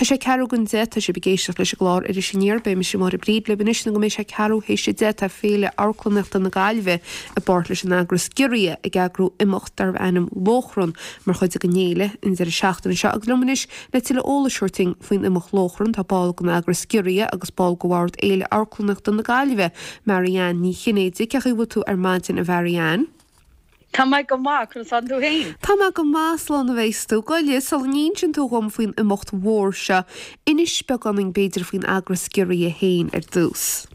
Tá sé ceathrú don 10, tá sibh ag éisteacht leis an gclár Iris Aniar. Beidh mise Máire Bríd libh anois nó go mbeidh sé ceathrú théis a 10. Tá Féile Amharclannaíochta na Gaillimhe i bpáirt leis an eagras Giorria ag eagrú imeacht darbh ainm Lóchrann mar chuid den fhéile an deireadh seachtaine seo agus liom anois le tuilleadh eolais a thabhairt dúinn faoin imeacht Lóchrann tá ball den eagras Giorria agus ball de bhord Fhéile Amharclannaíochta na Gaillimhe, Mary Ann Ní Chinnéide. Cén chaoi a bhfuil tú ar maidin a Mhary Ann? Tá mé go maith, conas tánn tú féin? Tá mé go maith, slán a bheas tú. Gabh i leith, sula n-inseann tú dhom faoin imeacht mhór seo, inis beagáinín b'fhéidir faoin eagras Giorria féin ar dtús.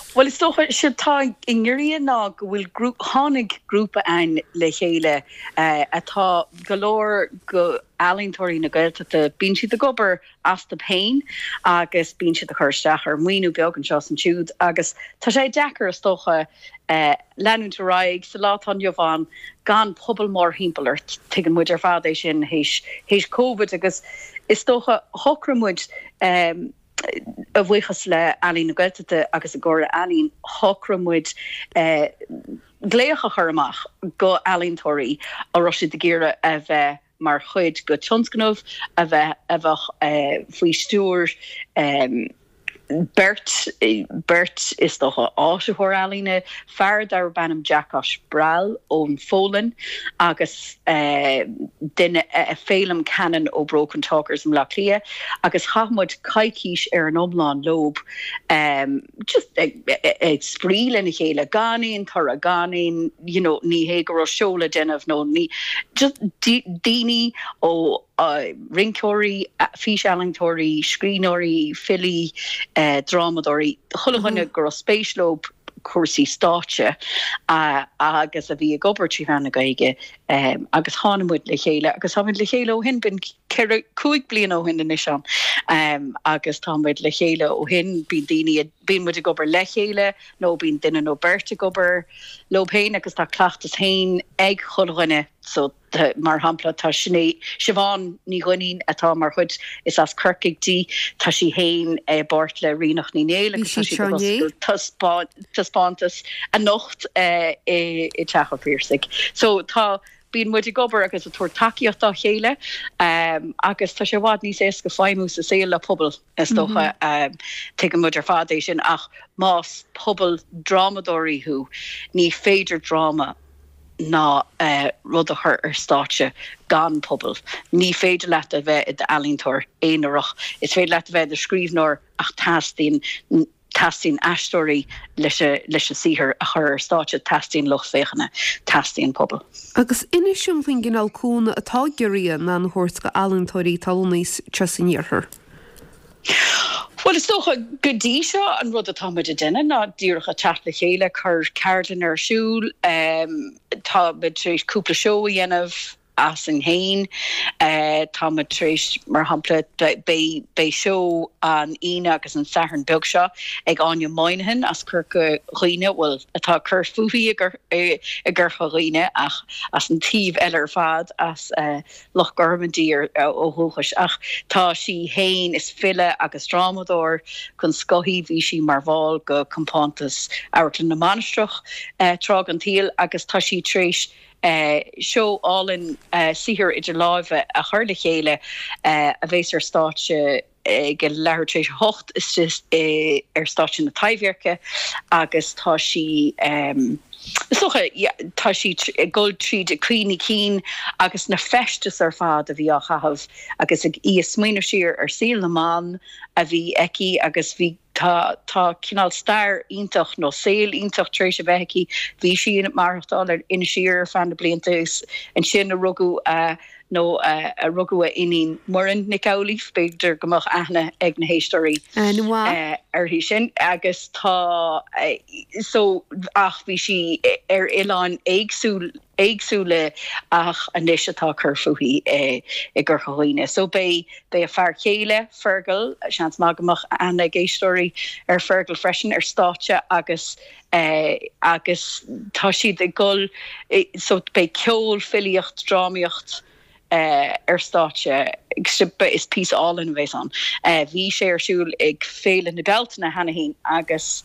Bhuel, is dócha, séard atá i nGiorria ná go bhfuil grú-, tháinig grúpa againn le chéile atá go leor go ealaíontóirí na Gaeltachta, bíonn siad ag obair astu féin agus bíonn siad ag cur isteach ar mhaoiniú beag anseo is ansiúd agus tá sé deacair is dócha leanúint ar aghaidh sa lá atá inniu ann gan pobal mórthimpeall ort. Tuigeann muid ar fad é sin théis théis Covid agus is dócha shocraigh muid a bhuíochas le Ealaín na Gaeltachta agus an Chomhairle Ealaíon shocraigh muid glaoch a chur amach go ealaíontóirí a raibh siad ag iarraidh a bheith mar chuid go tionscnamh a bheith a bheadh faoi stiúir beirt, beirt is dócha, áisitheoir ealaíne, fear darb ainm Jakosh Bral ón Pholainn agus duine, Féilim Cannon ó Broken Talkers i mBleá Cliath agus chaith muid coicís ar an iomlán leob. just ag spraoi lena chéile, gan aon toradh, gan aon, you know, ní hé go raibh seó le déanamh nó ní, just daoine ó rinceoirí, físealaíontóirí, scríbhneoirí, filí, drámadóirí, chuile dhuine go raibh spéis leo cúrsaí stáitse agus a bhí ag obair trí mheán na Gaeilge agus tháinig muid le chéile agus táimid le chéile ó shin, b'in 4, 5 bliana ó shin anois ann agus tá muid le chéile ó shin. Bíonn daoine, bíonn muid ag obair le chéile nó bíonn duine nó beirt ag obair leo féin agus tá cleachtas féin ag chuile dhuine so mar shampla tá Sinéad, Siobhán Ní Dhuinnín atá mar chuid, is as Corcaigh di, tá sí féin i bpáirt le Ríonach Ní Néill agus tá siad ag oscailt taispeántas anocht i dTeach an Phiarsaigh. So tá Bíonn muid ag obair agus ag tabhairt tacaíocht dá chéile agus tá sé i bhfad níos éasca feidhmiú sa saol le pobal, is dócha. Tuigeann muid ar fad é sin ach más pobal drámadóirí thú, ní féidir dráma ná rud a chur ar stáitse gan pobal. Ní féidir leat a bheith i d'ealaíontóir aonarach. Is féidir leat a bheith i do scríbhneoir ach teastaíonn Teastaíonn aisteoirí leis leis an saothar a chur ar stáitse, teastaíonn lucht féachana, teastaíonn pobal. Agus inis dom faoin gcineál cúnamh atá Giorria in ann a thabhairt go ealaíontóirí atá lonnaithe anseo san iarthar. Bhuel, is dócha, go dtí seo, an rud atá muid ag déanamh ná díreach ag teacht le chéile, cur ceardlann ar siúl, tá muid tar éis cúpla seó a dhéanamh, asainn féin. Tá muid tar éis, mar shampla, beidh beidh seó an Aoine agus an Satharn beag seo ag Áine Moynihan as Corca Dhuibhne, bhuel, atá ag cur fúithi i gCorca Dhuibhne ach as an taobh eile ar fad, as Loch Gorman di ó dhúchas. Ach tá sí féin, is file agus drámadóir den scoth í, bhí sí mar bhall de Compántas Amharclann na Mainistreach tráth den tsaol agus tá sí tar éis seó álainn saothar idir láimhe a chur le chéile a bheas ar stáitse ag a leathuair tar éis a hocht istigh ar stáitse na Taibhdheirce agus tá sí is dócha tá sí ag dul tríd a cuimhní cinn agus na feistis ar fad a bhí á chaitheamh agus ag í ag smaoineamh siar ar saol na mban a bhí aici agus bhí Tá, tá cineál stair iontach nó saol iontach tar éis a bheith aici. Bhí sí ag maireachtáil ar Inis Oírr ar feadh na blianta is ansin a rugadh a, nó a rugadh a iníon Muireann Nic Amhlaoibh, b'fhéidir go mbeadh aithne ag na héisteoirí uirthi sin. Agus tá, so, ach bhí sí ar oileáin éagsúil, éagsúla ach anois atá ag cur fúithi i gCorca Dhuibhne. So beidh beidh a fear céile, Fergal, seans maith go mbeadh aithne ag éisteoirí ar Fergal freisin, ar stáitse agus agus tá siad ag dul so beidh ceol, filíocht, drámaíocht, ar stáitse. Is píosa álainn a bheas ann. Bhí sé ar siúl ag Féile na Bealtaine cheana féin agus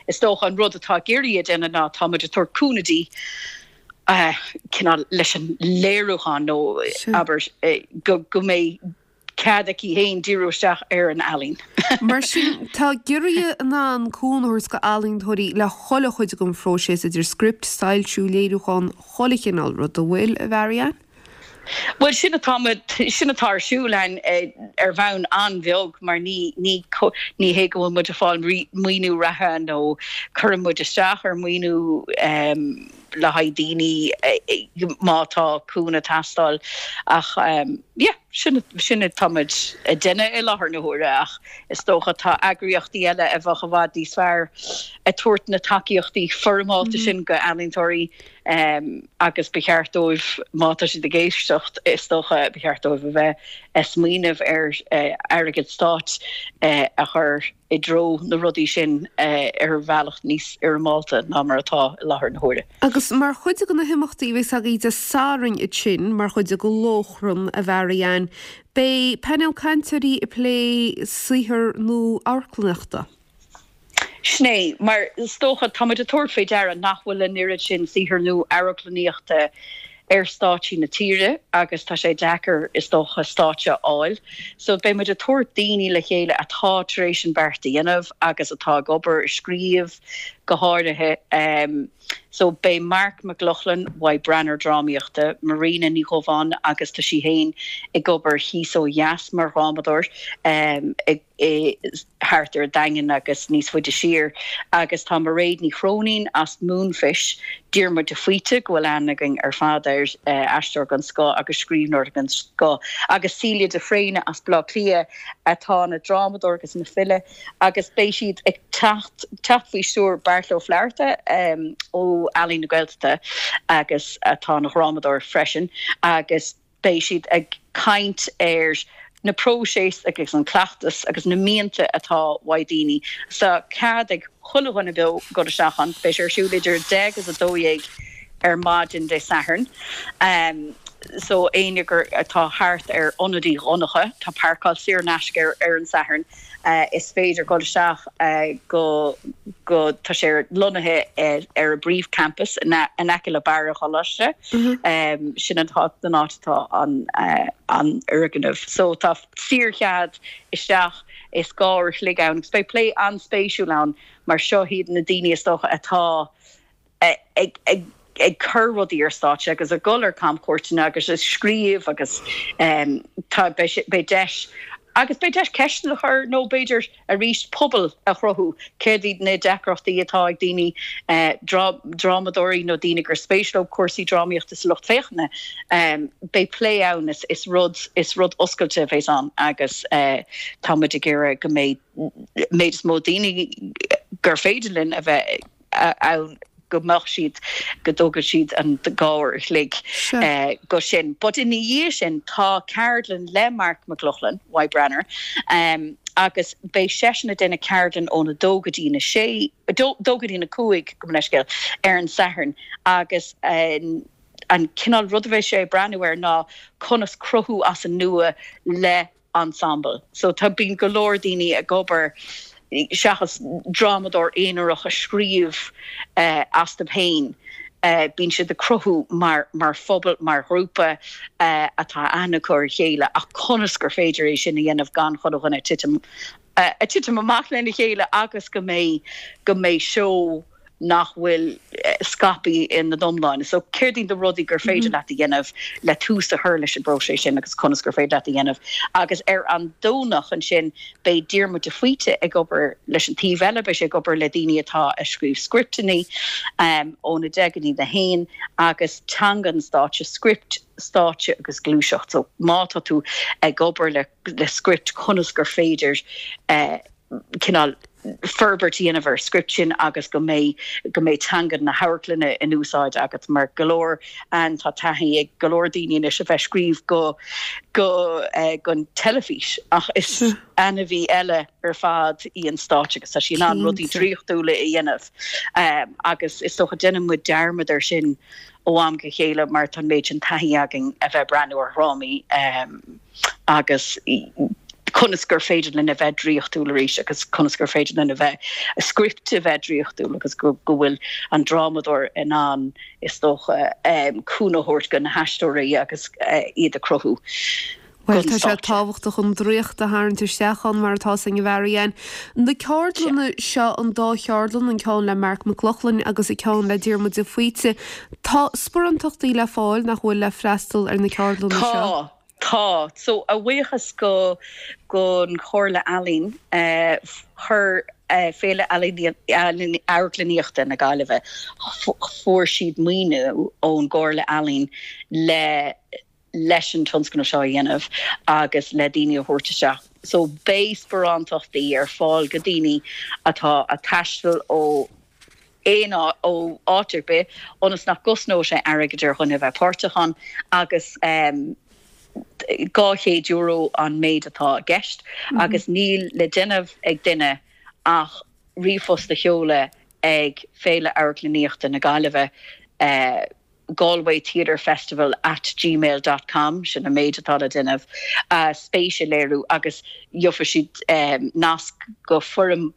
is dócha an rud atá Giorria a dhéanamh ná tá muid ag tabhairt cúnamh di cineál leis an léiriúchán nó abair go mbeidh. cead aici féin díriú isteach ar an ealaín. Mar sin, tá Giorria in ann cúnamh a thabhairt go ealaíontóirí le chuile chuid den phróiseas, idir script, soilsiú, léiriúchán, chuile chineál rud, an bhfuil, a Mhary-Ann? Bhuel, sin atá, sin atá ar siúl againn ar bhonn an-bheag mar ní, ní, ní hé go bhfuil muid ag fáil maoiniú reatha nó cuireann muid isteach ar mhaoiniú le haghaidh daoine má tá cúnamh ag teastáil ach yeah, sin, sin atá muid ag déanamh i láthair na huaire ach is dócha tá eagraíochtaí eile a bheadh i bhfad níos fearr ag tabhairt na tacaíochtaí foirmeálta sin go ealaíontóirí agus ba cheart dóibh, má tá siad ag éisteacht, is dócha, ba cheart dóibh a bheith ag smaoineamh ar airgead stáit a chur i dtreo na rudaí sin ar bhealach níos fhoirmeálta ná mar atá i láthair na huaire. Agus mar chuid de na himeachtaí a bheas agaibh Dé Sathairn ansin, mar chuid de Lóchrann, a Mhary-Ann, beidh painéal cainteoirí ag plé saothar nua amharclannaíochta. Sin é, mar is dócha, tá muid ag tabhairt faoi deara nach bhfuil an oiread sin saothar nua amharclannaíochta ar stáitsí na tíre agus tá sé deacair, is dócha, stáitse a fháil. So beidh muid ag tabhairt daoine le chéile atá tar éis an beart a dhéanamh agus atá ag obair, ag scríobh go háirithe. So beidh Marc Mac Lochlainn uaidh Branar Drámaíochta, Marina Ní Dhubháin agus tá sí féin ag obair thíos ó dheas mar dhrámadóir ag, thart ar an Daingean agus níos faide siar agus tá Mairéad Ní Chróinín as Moonfish, Diarmuid de Faoite, go bhfuil aithne againn ar fad air, aisteoir den scoth agus scríbhneoir den scoth, agus Celia de Fréine as Baile Átha Cliath atá ina drámadóir agus ina file agus beidh siad ag teacht teacht faoi stiúir Beairtle Ó Flatharta ó Ealaín na Gaeltachta agus atá ina dhrámadóir freisin agus Beidh siad ag caint ar na próisis agus an cleachtas agus na mianta atá uaidh daoine. Tá cead ag chuile dhuine beo dul isteach ann. Beidh sé ar siúl idir 10 agus 12 ar maidin Dé Sathairn. So éinne gur atá thart ar Ionad Uí Dhonncha, tá páirceáil saor in aisce ar an Satharn. Is féidir dul isteach go go tá sé lonnaithe ar an bpríomh-champas in aice le Barra an Choláiste. Sin an áit atá an an fhoirgneamh. So tá saorchead isteach is 2 uair a chloig ann agus beidh plé an-spéisiúil ann mar seo iad na daoine is dócha atá ag cur rudaí ar stáitse agus ag dul ar camchuairteanna agus ag scríobh agus tá, beidh deis, agus beidh deis ceisteanna a chur nó b'fhéidir arís pobal a chruthú, céard iad na deacrachtaí atá ag daoine, drámadóirí nó daoine gur spéis leo cúrsaí drámaíochta sa lucht féachana. Beidh plé ann, is rud, is rud oscailte a bheas ann agus tá muid ag iarraidh go mbeidh méid is mó daoine gur féidir linn a bheith ann go mbeadh siad, go dtógfadh siad an 2 uair a chloig go sin. But ina dhiaidh sin tá ceardlann le Marc Mac Lochlainn, uaidh Branar, agus beidh seisean ag déanamh ceardlann ón 2 go dtí na sé, 2 go dtí na 5, gabh mo leithscéal, ar an Satharn agus an cineál rud a bheidh sé ag breathnú air ná conas cruthú as an nua le ensemble. So tá, bíonn go leor daoine ag obair seachas drámadóir aonarach a scríobh astu féin, bíonn siad ag cruthú mar mar phobal, mar ghrúpa atá aithne acu ar a chéile ach conas gur féidir é sin a dhéanamh gan chuile dhuine titim a titim amach lena chéile agus go mbeidh go mbeidh seó nach bhfuil scaipthe ina iomláine. So céard iad na rudaí gur féidir leat a dhéanamh le tús a chur leis an bpróiseas sin agus conas gur féidir leat a dhéanamh. Agus ar an Domhnach ansin beidh Diarmuid de Faoite ag obair leis an taobh eile, beidh sé ag obair le daoine atá ag scríobh scripteanna óna deich go dtí a haon agus teanga an stáitse, script, stáitse agus gluaiseacht. So má tá tú ag obair le le script conas gur féidir cineál forbairt a dhéanamh ar script sin agus go mbeidh go mbeidh teanga na hamharclainne in úsáid agat mar go leor an tá taithí ag go leor daoine anois a bheith scríobh go go don teilifís ach is ainmhí eile ar fad í an stáitse agus tá sí in ann rudaí draíochtúla a dhéanamh agus is dócha déanann muid dearmad ar sin ó am go chéile mar tá an méid sin taithí againn a bheith breathnú ar dhrámaí. agus conas gur féidir linn a bheith draíochtúil arís agus conas gur féidir linn a bheith, script a bheith draíochtúil agus go bhfuil an drámadóir in ann, is dócha, cúnamh a thabhairt do na haisteoirí agus iad a cruthú. Bhuel, tá sé tábhachtach an draíocht a tharraingt isteach ann mar atá san, a Mhary-Ann. Na ceardlanna seo, an dá cheardlann, an ceann le Marc Mac Lochlainn agus an ceann le Diarmuid de Faoite, tá sparántachtaí le fáil, nach bhfuil, le freastal ar na ceardlanna seo? Tá, tá. So, a bhuíochas go gon Chomhairle Ealaíon, chuir Féile Ealaíon Amharclannaíochta na Gaillimhe, fuair siad maoiniú ón gComhairle Ealaíon le leis an tionscnamh seo a dhéanamh agus le daoine a thabhairt isteach. So beidh sparántachtaí ar fáil go daoine atá a' taisteal ó aon áit, ó áit ar bith, ionas nach gcosnóidh sé airgead ar dhuine a bheith páirteach ann agus €200 an méid atá i gceist agus níl le déanamh ag duine ach ríomhphost a sheoladh ag Féile Amharclannaíochta na Gaillimhe, galwaytheatrefestival at gmail dot com, sin an méid atá le déanamh, spéis a léiriú agus gheobhaidh siad nasc go foirm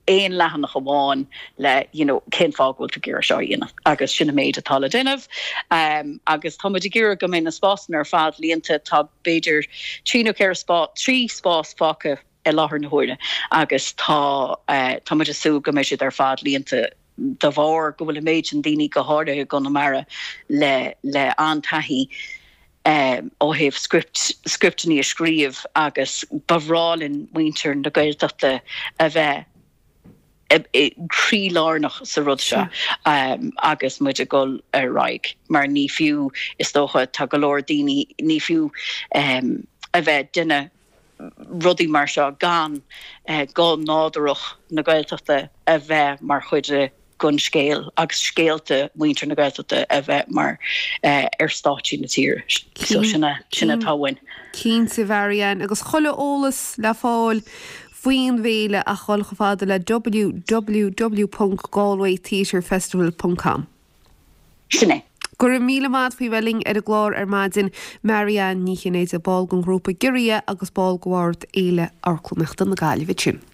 aon leathanach amháin le you know cén fáth go bhfuil tú ag iarraidh seo a dhéanamh agus sin an méid atá le déanamh. Agus tá muid ag iarraidh go mbeidh na spásanna ar fad líonta, tá b'fhéidir trí nó ceithre spás, trí spás fágtha i láthair na huaire agus tá tá muid ag súil go mbeidh siad ar fad líonta de bharr go bhfuil an méid sin daoine, go háirithe i gConamara, le le an-taithí ó thaobh script, scripteanna a scríobh agus ba bhreá linn muintir na Gaeltachta a bheith croílárnach sa rud seo agus muid ag dul ar aghaidh mar ní fiú, is dócha, tá go leor daoine, ní fiú a bheith ag déanamh rudaí mar seo gan guth nádúrach na Gaeltachta a bheith mar chuid den scéal agus scéalta mhuintir na Gaeltachta a bheith mar ar stáitsí na tíre. So sin sin atá uainn. Cinnte, a Mhary-Ann, agus chuile eolas le fáil faoin bhféile ach dhul chomh fada le www.galwaytheatrefestival.com. Sin é. Go raibh míle maith a't faoi bheith linn ar an gclár ar maidin, Mary-Ann Ní Chinnéide, ball den ghrúpa Giorria agus ball de bhord Fhéile Amharclannaíochta na Gaillimhe. Sin.